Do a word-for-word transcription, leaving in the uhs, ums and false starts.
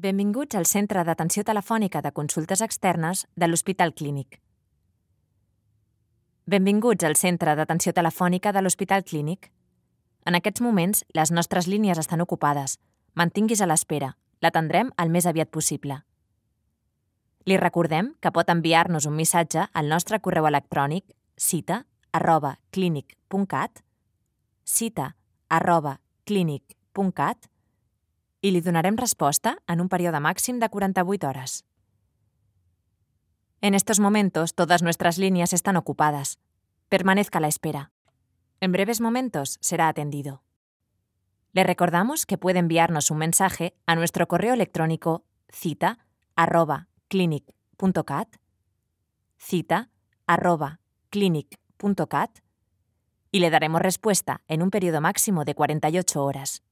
Benvinguts al Centre d'Atenció Telefònica de Consultes Externes de l'Hospital Clínic. Benvinguts al Centre d'Atenció Telefònica de l'Hospital Clínic. En aquests moments, les nostres línies estan ocupades. Mantinguis a l'espera. L'atendrem el més aviat possible. Li recordem que pot enviar-nos un missatge al nostre correu electrònic cita arroba clínic punt cat, cita arroba clínic punt cat, y le donarem respuesta en un periodo máximo de cuarenta y ocho horas. En estos momentos, todas nuestras líneas están ocupadas. Permanezca a la espera. En breves momentos será atendido. Le recordamos que puede enviarnos un mensaje a nuestro correo electrónico cita arroba clínic punto cat, cita arroba clínic punto cat, y le daremos respuesta en un periodo máximo de cuarenta y ocho horas.